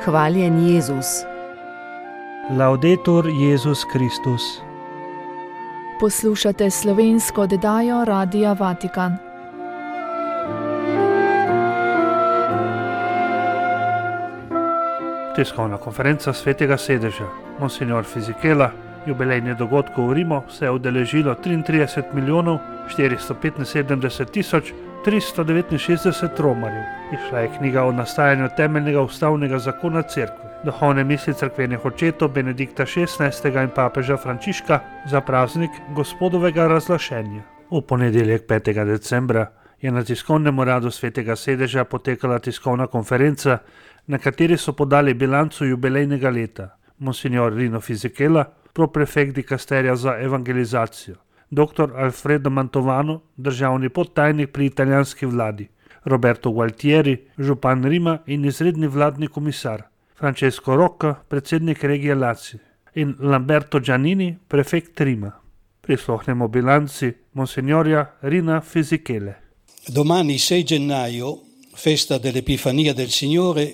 Hvaljen Jezus. Laudetur Jezus Kristus. Poslušate slovensko oddajo Radia Vatikan. Tiskovna konferenca Svetega sedeža. Monsignor Fisichella, jubilejni dogodkov v Rimu se je udeležilo 33.475.369 romarjev. Išla je knjiga o nastajanju temeljnega ustavnega zakona cerkve. Duhovne misli cerkvenih očetov Benedikta XVI. In papeža Frančiška za praznik Gospodovega razglašenja. V ponedeljek 5. decembra je na tiskovnem uradu Svetega sedeža potekala tiskovna konferenca, na kateri so podali bilanco jubilejnega leta. Monsignor Rino Fisichella, proprefekt dikasterija za evangelizacijo, dr. Alfredo Mantovano, državni podtajnik pri italijanski vladi, Roberto Gualtieri, župan Rima in izredni vladni komisar, Francesco Rocca, predsednik regije Lazio in Lamberto Giannini, prefekt Rima. Prisluhnemo bilanci Monsignorja Rina Fisichelle. Domani 6 gennaio, festa dell'Epifania del Signore,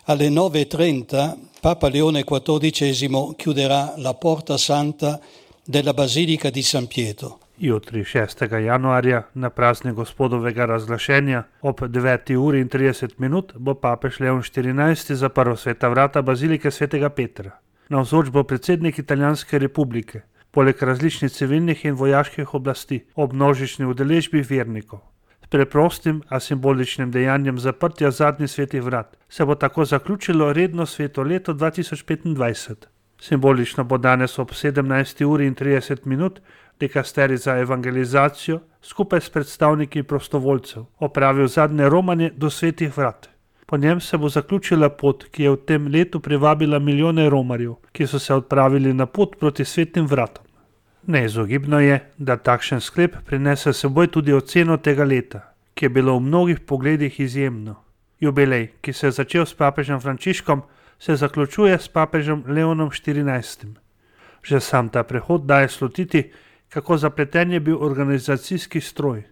alle 9:30 Papa Leone XIV chiuderà la Porta Santa della Basilica di San Pietro. Jutri 6. januarja na praznik Gospodovega razglašenja ob 9:30 bo papež Leon XIV zaprl sveta vrata bazilike svetega Petra. Navzoč bo predsednik Italijanske republike, poleg različnih civilnih in vojaških oblasti, ob množični udeležbi vernikov. S preprostim, a simboličnim dejanjem zaprtja zadnjih svetih vrat se bo tako zaključilo redno sveto leto 2025. Simbolično bo danes ob 17:30 dikasterij za evangelizacijo skupaj s predstavniki prostovoljcev opravil zadnje romanje do svetih vrat. Po njem se bo zaključila pot, ki je v tem letu privabila milijone romarjev, ki so se odpravili na pot proti svetim vratom. Neizogibno je, da takšen sklep prinese seboj tudi oceno tega leta, ki je bilo v mnogih pogledih izjemno. Jubilej, ki se je začel s papežem Frančiškom, se zaključuje s papežem Leonom XIV. Že sam ta prehod daje slutiti, kako zapleten je bil organizacijski stroj.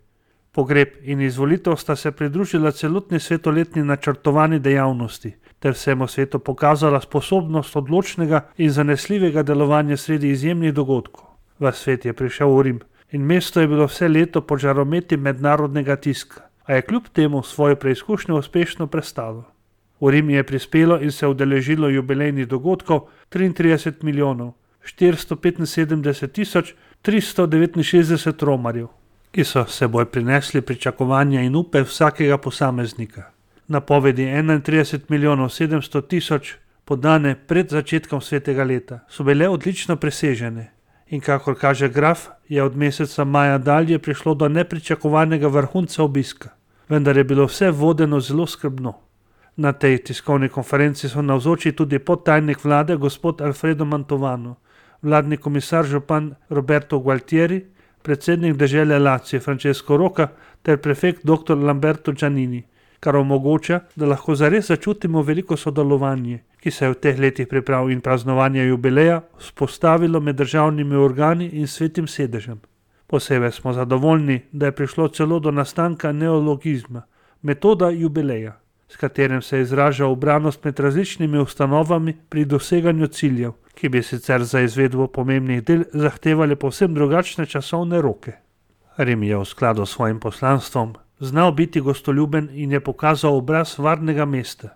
Pogreb in izvolitev sta se pridružila celotni svetoletni načrtovani dejavnosti, ter vsemu svetu pokazala sposobnost odločnega in zanesljivega delovanja sredi izjemnih dogodkov. Ves svet je prišel v Rim in mesto je bilo vse leto pod žarometi mednarodnega tiska, a je kljub temu svojo preizkušnjo uspešno prestalo. V Rim je prispelo in se udeležilo jubilejnih dogodkov 33.475.369 romarjev, ki so seboj prinesli pričakovanja in upe vsakega posameznika. Napovedi 31.700.000 podane pred začetkom svetega leta so bile odlično presežene. In kakor kaže graf, je od meseca maja dalje prišlo do nepričakovanega vrhunca obiska, vendar je bilo vse vodeno zelo skrbno. Na tej tiskovni konferenci so navzoči tudi podtajnik vlade gospod Alfredo Mantovano, vladni komisar župan Roberto Gualtieri, predsednik dežele Lazio Francesco Rocca ter prefekt dr. Lamberto Giannini, kar omogoča, da lahko zares začutimo veliko sodelovanje, ki se je v teh letih priprav in praznovanja jubileja vzpostavilo med državnimi organi in svetim sedežem. Posebej smo zadovoljni, da je prišlo celo do nastanka neologizma, metoda jubileja, s katerim se izraža ubranost med različnimi ustanovami pri doseganju ciljev, ki bi sicer za izvedbo pomembnih del zahtevali povsem drugačne časovne roke. Rim je v skladu s svojim poslanstvom znal biti gostoljuben in je pokazal obraz varnega mesta,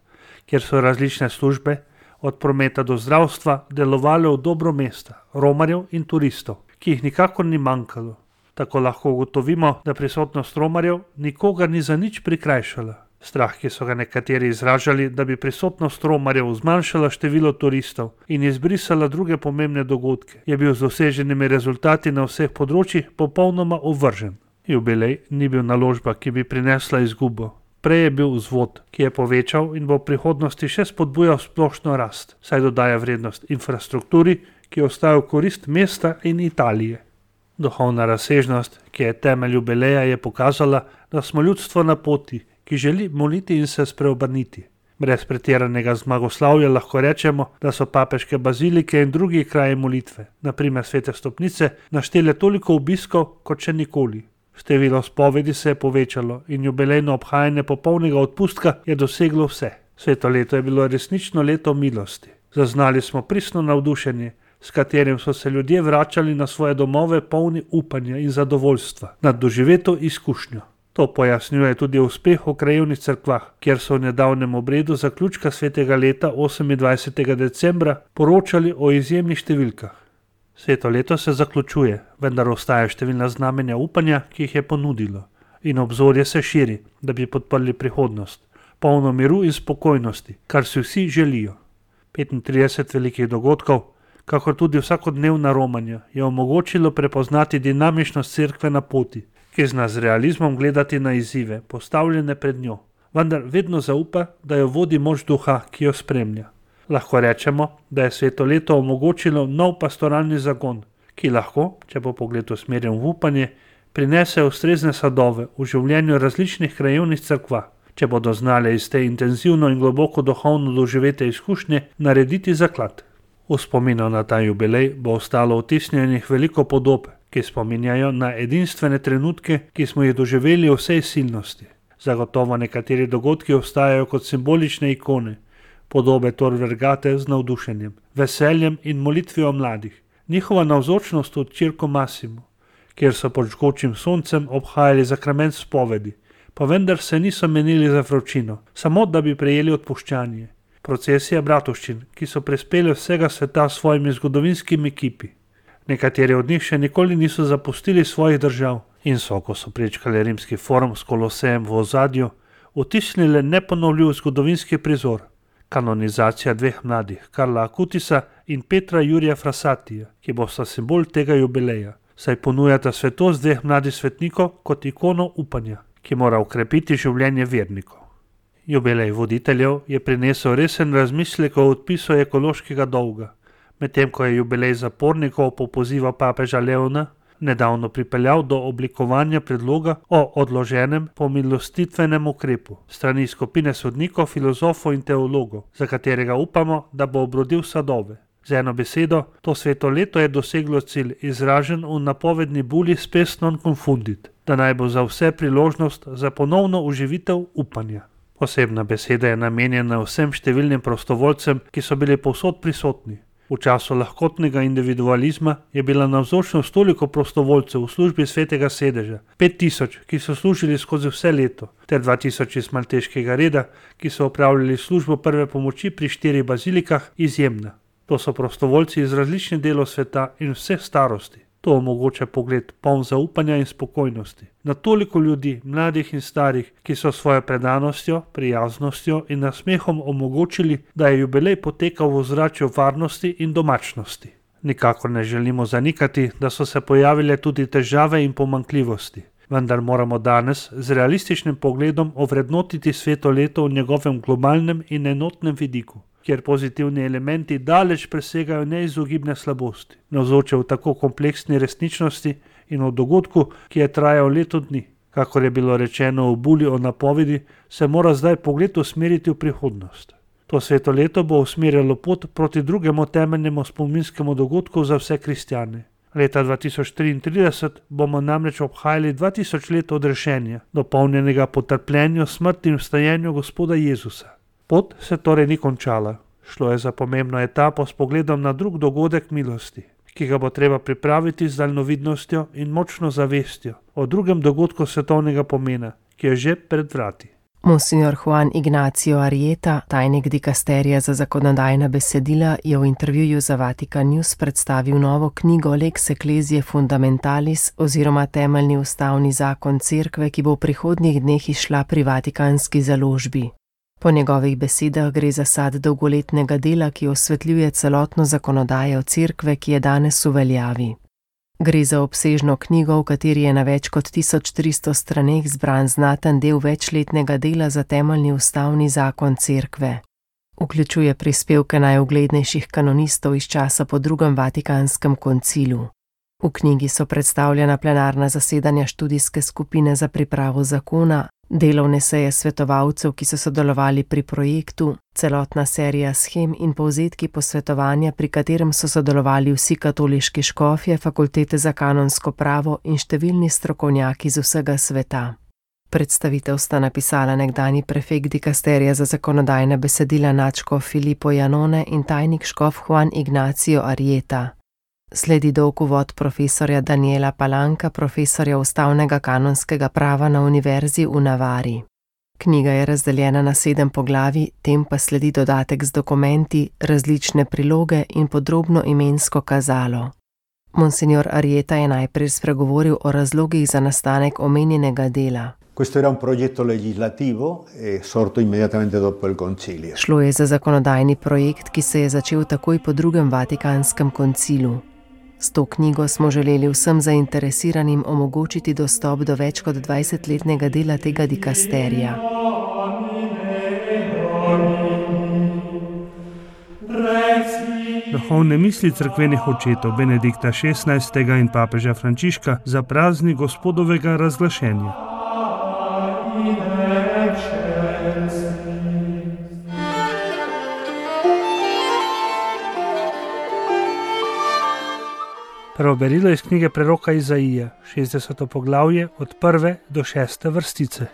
kjer so različne službe, od prometa do zdravstva, delovale v dobro mesta, romarjev in turistov, ki jih nikakor ni manjkalo. Tako lahko ugotovimo, da prisotnost romarjev nikogar ni za nič prikrajšala. Strah, ki so ga nekateri izražali, da bi prisotnost romarjev zmanjšala število turistov in izbrisala druge pomembne dogodke, je bil z doseženimi rezultati na vseh področjih popolnoma ovržen. Jubilej ni bil naložba, ki bi prinesla izgubo. Prej je bil vzvod, ki je povečal in bo v prihodnosti še spodbujal splošno rast, saj dodaja vrednost infrastrukturi, ki ostaja v korist mesta in Italije. Duhovna razsežnost, ki je temelj jubileja, je pokazala, da smo ljudstvo na poti, ki želi moliti in se spreobrniti. Brez pretiranega zmagoslavja lahko rečemo, da so papeške bazilike in drugi kraji molitve, naprimer svete stopnice, naštele toliko obiskov kot še nikoli. Število spovedi se je povečalo in jubilejno obhajanje popolnega odpustka je doseglo vse. Sveto leto je bilo resnično leto milosti. Zaznali smo pristno navdušenje, s katerim so se ljudje vračali na svoje domove polni upanja in zadovoljstva nad doživeto izkušnjo. To pojasnjuje tudi uspeh v krajevnih cerkvah, kjer so v nedavnem obredu zaključka svetega leta 28. decembra poročali o izjemnih številkah. Sveto leto se zaključuje, vendar ostaja številna znamenja upanja, ki jih je ponudilo, in obzorje se širi, da bi podprli prihodnost, polno miru in spokojnosti, kar si vsi želijo. 35 velikih dogodkov, kakor tudi vsakodnevna romanja, je omogočilo prepoznati dinamičnost cerkve na poti, ki zna z realizmom gledati na izzive, postavljene pred njo, vendar vedno zaupa, da jo vodi moč duha, ki jo spremlja. Lahko rečemo, da je sveto leto omogočilo nov pastoralni zagon, ki lahko, če bo pogled usmerjen v upanje, prinese ustrezne sadove v življenju različnih krajevnih cerkva, če bodo znale iz te intenzivno in globoko duhovno doživete izkušnje narediti zaklad. V spominu na ta jubilej bo ostalo vtisnjenih veliko podob, ki spominjajo na edinstvene trenutke, ki smo jih doživeli v vsej silnosti. Zagotovo nekateri dogodki ostajajo kot simbolične ikone, podobe Tor Vergate z navdušenjem, veseljem in molitvijo mladih, njihova navzočnost v Circo Massimo, kjer so pod žgočim soncem obhajali zakrament spovedi, pa vendar se niso menili za vročino, samo da bi prejeli odpuščanje. Procesija bratovščin, ki so prispeli vsega sveta s svojimi zgodovinskimi kipi. Nekateri od njih še nikoli niso zapustili svojih držav in so, ko so prečkali rimski forum s Kolosejem v ozadju, vtisnili neponovljiv zgodovinski prizor, kanonizacija dveh mladih, Karla Akutisa in Petra Jurija Frassatija, ki bosta simbol tega jubileja, saj ponujata svetost dveh mladih svetnikov kot ikono upanja, ki mora ukrepiti življenje vernikov. Jubilej voditeljev je prinesel resen razmislek o odpisu ekološkega dolga, medtem ko je jubilej zapornikov po pozivu papeža Leona nedavno pripeljal do oblikovanja predloga o odloženem pomilostitvenem ukrepu strani skupine sodnikov, filozofov in teologov, za katerega upamo, da bo obrodil sadove. Z eno besedo, to sveto leto je doseglo cilj, izražen v napovedni buli Spes non confundit, da naj bo za vse priložnost za ponovno oživitev upanja. Posebna beseda je namenjena vsem številnim prostovoljcem, ki so bili povsod prisotni. V času lahkotnega individualizma je bila navzočnost toliko prostovoljcev v službi svetega sedeža, 5000, ki so služili skozi vse leto, ter 2000 iz malteškega reda, ki so opravljali službo prve pomoči pri 4 bazilikah, izjemna. To so prostovoljci iz različnih delov sveta in vseh starosti. To omogoča pogled poln zaupanja in spokojnosti na toliko ljudi, mladih in starih, ki so svojo predanostjo, prijaznostjo in nasmehom omogočili, da je jubilej potekal v ozračju varnosti in domačnosti. Nikakor ne želimo zanikati, da so se pojavile tudi težave in pomanjkljivosti, vendar moramo danes z realističnim pogledom ovrednotiti sveto leto v njegovem globalnem in enotnem vidiku, kjer pozitivni elementi daleč presegajo neizogibne slabosti, navzoče v tako kompleksni resničnosti in v dogodku, ki je trajal leto dni. Kakor je bilo rečeno v buli o napovedi, se mora zdaj pogled usmeriti v prihodnost. To sveto leto bo usmerjalo pot proti drugemu temeljnemu spominskemu dogodku za vse kristjane. Leta 2033 bomo namreč obhajali 2000 let odrešenja, dopolnjenega po trpljenju, smrti in vstajenju Gospoda Jezusa. Pot se torej ni končala. Šlo je za pomembno etapo s pogledom na drug dogodek milosti, ki ga bo treba pripraviti z daljnovidnostjo in močno zavestjo o drugem dogodku svetovnega pomena, ki je že pred vrati. Monsignor Juan Ignacio Arrieta, tajnik dikasterija za zakonodajna besedila, je v intervjuju za Vatikan News predstavil novo knjigo Lex Ecclesiae Fundamentalis oziroma temeljni ustavni zakon cerkve, ki bo v prihodnjih dneh izšla pri vatikanski založbi. Po njegovih besedah gre za sad dolgoletnega dela, ki osvetljuje celotno zakonodajo cerkve, ki je danes v veljavi. Gre za obsežno knjigo, v kateri je na več kot 1300 straneh zbran znaten del večletnega dela za temeljni ustavni zakon cerkve. Vključuje prispevke najuglednejših kanonistov iz časa po drugem Vatikanskem koncilu. V knjigi so predstavljena plenarna zasedanja študijske skupine za pripravo zakona, delovne seje svetovalcev, ki so sodelovali pri projektu, celotna serija shem in povzetki posvetovanja, pri katerem so sodelovali vsi katoliški škofje, fakultete za kanonsko pravo in številni strokovnjaki z vsega sveta. Predstavitev sta napisala nekdanji prefekt dikasterija za zakonodajna besedila nadškof Filippo Janone in tajnik škof Juan Ignacio Arrieta. Sledi dolg uvod profesorja Daniela Palanca, profesorja ustavnega kanonskega prava na Univerzi v Navari. Knjiga je razdeljena na 7 poglavij, tem pa sledi dodatek z dokumenti, različne priloge in podrobno imensko kazalo. Monsignor Arrieta je najprej spregovoril o razlogih za nastanek omenjenega dela. Questo era un progetto legislativo sorto immediatamente dopo il concilio. Šlo je za zakonodajni projekt, ki se je začel takoj po drugem Vatikanskem koncilu. S to knjigo smo želeli vsem zainteresiranim omogočiti dostop do več kot 20-letnega dela tega dikasterija. Duhovne misli cerkvenih očetov Benedikta XVI. In papeža Frančiška za praznik Gospodovega razglašenja. Prvo berilo iz knjige preroka Izaija, 60. poglavje od 1. do 6. vrstice.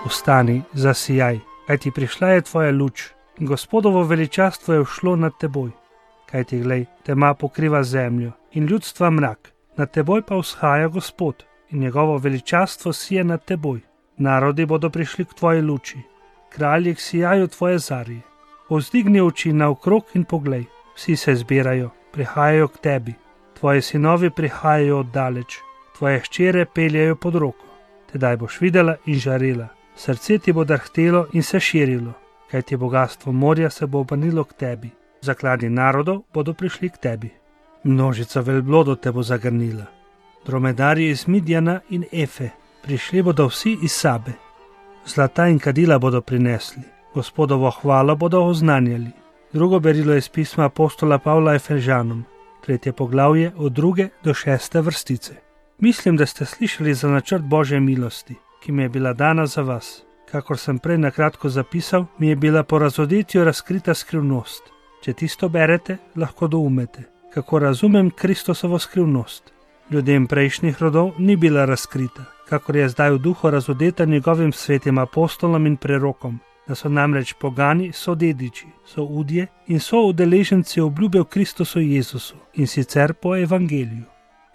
Vstani, zasijaj, kajti prišla je tvoja luč, in Gospodovo veličastvo je všlo nad teboj. Kajti glej, tema pokriva zemljo in ljudstva mrak, nad teboj pa vzhaja Gospod in njegovo veličastvo sije nad teboj. Narodi bodo prišli k tvoji luči, kralji k sijaju tvoje zarje. Povzdigni oči naokrog in poglej, vsi se zbirajo, prihajajo k tebi. Tvoji sinovi prihajajo oddaleč, tvoje hčere peljajo pod roko. Tedaj boš videla in žarela, srce ti bo drhtelo in se širilo, kajti bogastvo morja se bo obrnilo k tebi. Zakladi narodov bodo prišli k tebi. Množica velblodov te bo zagrnila. Dromedarji iz Midjana in Efe, prišli bodo vsi iz Sabe. Zlata in kadila bodo prinesli, Gospodovo hvalo bodo oznanjali. Drugo berilo je iz pisma apostola Pavla Efežanom, 3. poglavje od 2. do 6. vrstice. Mislim, da ste slišali za načrt Božje milosti, ki mi je bila dana za vas. Kakor sem prej nakratko zapisal, mi je bila po razodetju razkrita skrivnost. Če tisto berete, lahko doumete, kako razumem Kristosovo skrivnost. Ljudem prejšnjih rodov ni bila razkrita, kakor je zdaj v duhu razodeta njegovim svetim apostolom in prerokom, da so namreč pogani sodediči, soudje in soudeleženci obljube v Kristusu Jezusu, in sicer po evangeliju.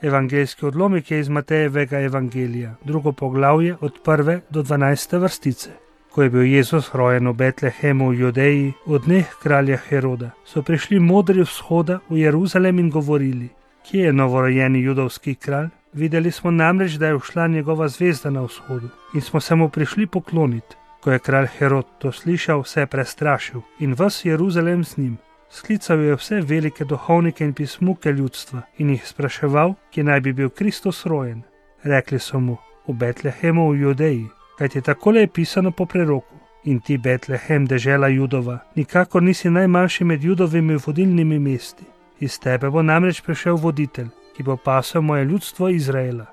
Evangeljski odlomek je iz Matejevega evangelija, 2. poglavje od 1. do 12. vrstice. Ko je bil Jezus rojen v Betlehemu v Judeji v dneh kralja Heroda, so prišli modri vzhoda v Jeruzalem in govorili: Kje je novorojeni judovski kralj? Videli smo namreč, da je ušla njegova zvezda na vzhodu in smo se mu prišli pokloniti. Ko je kralj Herod to slišal, se je prestrašil in ves Jeruzalem z njim. Sklical je vse velike duhovnike in pismuke ljudstva in jih spraševal, kje naj bi bil Kristus rojen. Rekli so mu: v Betlehemu v Judeji, kajti takole je pisano po preroku: In ti, Betlehem, dežela Judova, nikakor nisi najmanjši med Judovimi vodilnimi mesti. Iz tebe bo namreč prišel voditelj, ki bo pasel moje ljudstvo Izraela.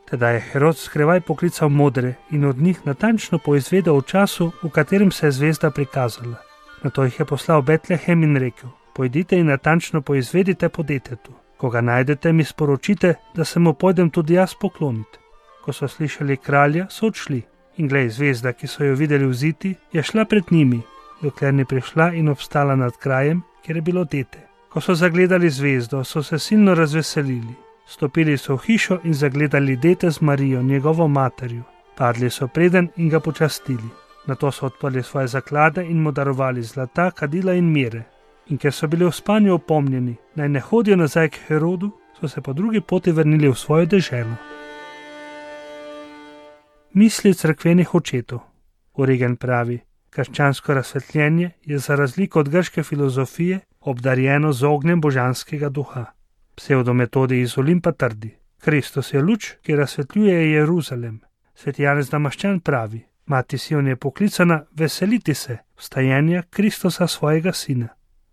Teda je Herod skrivaj poklical modre in od njih natančno poizvedel o času, v katerem se je zvezda prikazala. Nato jih je poslal v Betlehem in rekel: Pojdite in natančno poizvedite po detetu. Ko ga najdete, mi sporočite, da se mu pojdem tudi jaz pokloniti. Ko so slišali kralja, so odšli. In glej, zvezda, ki so jo videli vziti, je šla pred njimi, dokler ni prišla in obstala nad krajem, kjer je bilo dete. Ko so zagledali zvezdo, so se silno razveselili. Stopili so v hišo in zagledali dete z Marijo, njegovo materjo. Padli so preden in ga počastili. Nato so odprli svoje zaklade in mu darovali zlata, kadila in mire. In ker so bili v spanju opomnjeni, naj ne hodijo nazaj k Herodu, so se po drugi poti vrnili v svojo deželo. Misli cerkvenih očetov. Origen pravi: krščansko razsvetljenje je za razliko od grške filozofije obdarjeno z ognjem božanskega duha. Psevdometodi iz Olimpa trdi: Kristus je luč, ki razsvetljuje Jeruzalem. Sveti Janez Damaščan pravi: Mati Sion je poklicana veseliti se vstajenja Kristusa svojega sina.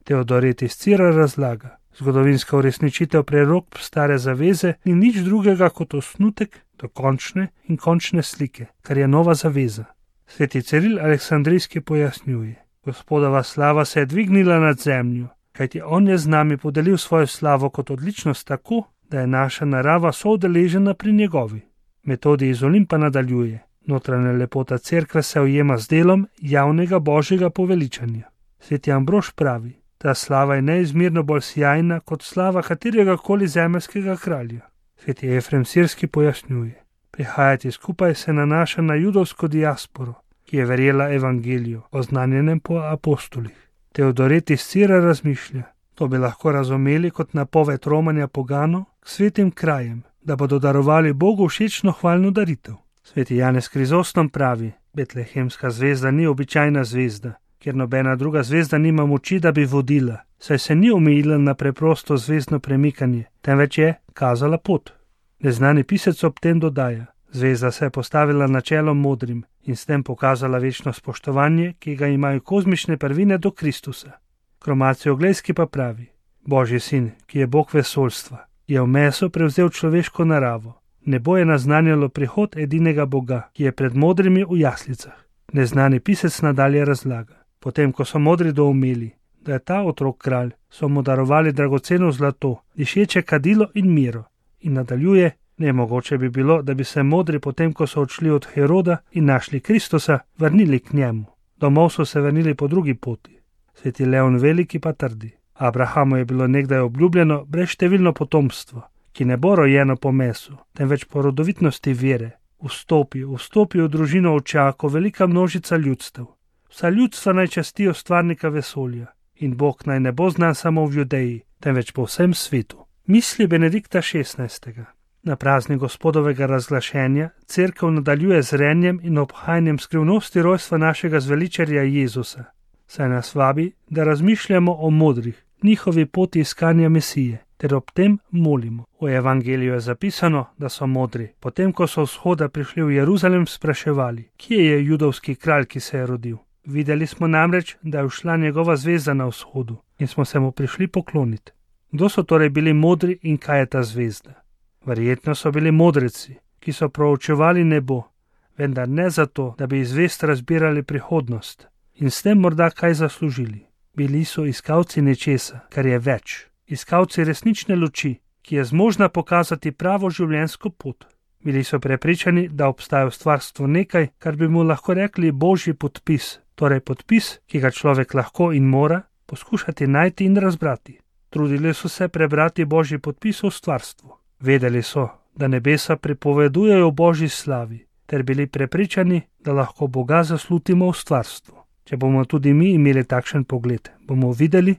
Teodoret iz Cira razlaga: zgodovinska uresničitev prerok stare zaveze ni nič drugega kot osnutek dokončne in končne slike, kar je nova zaveza. Sveti Ciril Aleksandrijski pojasnjuje: Gospodova slava se je dvignila nad zemljo, kajti on je z nami podelil svojo slavo kot odličnost tako, da je naša narava soudeležena pri njegovi. Metodi iz Olimpa nadaljuje: notranja lepota cerkve se ujema z delom javnega božjega poveličanja. Sveti Ambrož pravi: ta slava je neizmerno bolj sjajna kot slava katerega koli zemeljskega kralja. Sveti Efrem Sirski pojasnjuje: prihajati skupaj se nanaša na judovsko diasporo, ki je verjela evangeliju, oznanjenem po apostolih. Teodoret iz Cira razmišlja: to bi lahko razumeli kot napoved romanja poganov k svetim krajem, da bodo darovali Bogu všečno hvalno daritev. Sveti Janez Krizostom pravi: betlehemska zvezda ni običajna zvezda, ker nobena druga zvezda nima moči, da bi vodila, saj se ni omejila na preprosto zvezdno premikanje, temveč je kazala pot. Neznani pisec ob tem dodaja: zvezda se je postavila na čelo modrim in s tem pokazala večno spoštovanje, ki ga imajo kozmične prvine do Kristusa. Kromacijo Oglejski pa pravi: Božji sin, ki je Bog vesoljstva, je v meso prevzel človeško naravo. Nebo je naznanjalo prihod edinega Boga, ki je pred modrimi v jaslicah. Neznani pisec nadalje razlaga: potem, ko so modri doumeli, da je ta otrok kralj, so mu darovali dragoceno zlato, dišeče kadilo in miro. In nadaljuje: nemogoče bi bilo, da bi se modri potem, ko so odšli od Heroda in našli Kristusa, vrnili k njemu. Domov so se vrnili po drugi poti. Sveti Leon Veliki pa trdi: Abrahamu je bilo nekdaj obljubljeno brezštevilno potomstvo, ki ne bo rojeno po mesu, temveč po rodovitnosti vere. Vstopi v družino oča, ko velika množica ljudstev. Vsa ljudstva naj častijo stvarnika vesolja in Bog naj ne bo znan samo v Judeji, temveč po vsem svetu. Misli Benedikta XVI. Na praznik Gospodovega razglašenja cerkev nadaljuje z renjem in obhajanjem skrivnosti rojstva našega zveličarja Jezusa, saj nas vabi, da razmišljamo o modrih, njihovi poti iskanja Mesije, ter ob tem molimo. V evangeliju je zapisano, da so modri, potem ko so vzhoda prišli v Jeruzalem, spraševali: kje je judovski kralj, ki se je rodil? Videli smo namreč, da je ušla njegova zvezda na vzhodu in smo se mu prišli pokloniti. Kdo so torej bili modri in kaj je ta zvezda? Verjetno so bili modreci, ki so proučevali nebo, vendar ne zato, da bi iz zvezd razbirali prihodnost in s tem morda kaj zaslužili. Bili so iskalci nečesa, kar je več, iskalci resnične luči, ki je zmožna pokazati pravo življenjsko pot. Bili so prepričani, da obstaja v stvarstvu nekaj, kar bi mu lahko rekli božji podpis, torej podpis, ki ga človek lahko in mora poskušati najti in razbrati. Trudili so se prebrati božji podpis v stvarstvu. Vedeli so, da nebesa pripovedujejo o božji slavi, ter bili prepričani, da lahko Boga zaslutimo v stvarstvu. Če bomo tudi mi imeli takšen pogled, bomo videli,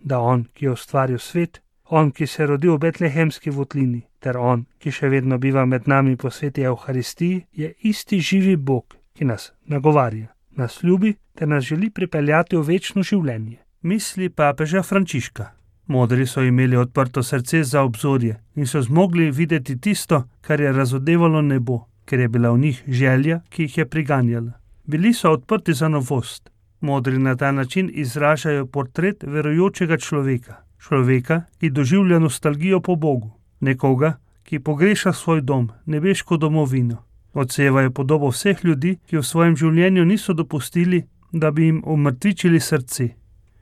da on, ki je ustvaril svet, on, ki se je rodil v betlehemski votlini, ter on, ki še vedno biva med nami po sveti Evharistiji, je isti živi Bog, ki nas nagovarja, nas ljubi ter nas želi pripeljati v večno življenje. Misli papeža Frančiška. Modri so imeli odprto srce za obzorje in so zmogli videti tisto, kar je razodevalo nebo, ker je bila v njih želja, ki jih je priganjala. Bili so odprti za novost. Modri na ta način izražajo portret verujočega človeka, ki doživlja nostalgijo po Bogu, nekoga, ki pogreša svoj dom, nebeško domovino. Odsevajo podobo vseh ljudi, ki v svojem življenju niso dopustili, da bi jim umrtvičili srce.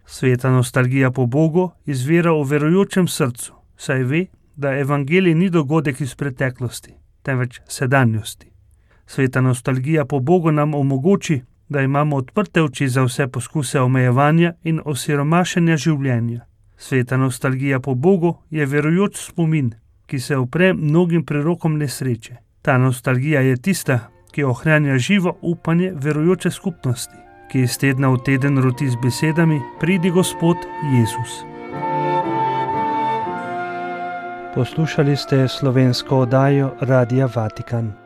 Sveta nostalgija po Bogu izvira v verujočem srcu, saj ve, da evangelij ni dogodek iz preteklosti, temveč sedanjosti. Sveta nostalgija po Bogu nam omogoči, da imamo odprte oči za vse poskuse omejevanja in osiromašenja življenja. Sveta nostalgija po Bogu je verujoč spomin, ki se upre mnogim prerokom nesreče. Ta nostalgija je tista, ki ohranja živo upanje verujoče skupnosti, ki iz tedna v teden roti z besedami: pridi Gospod Jezus. Poslušali ste slovensko oddajo Radia Vatikan.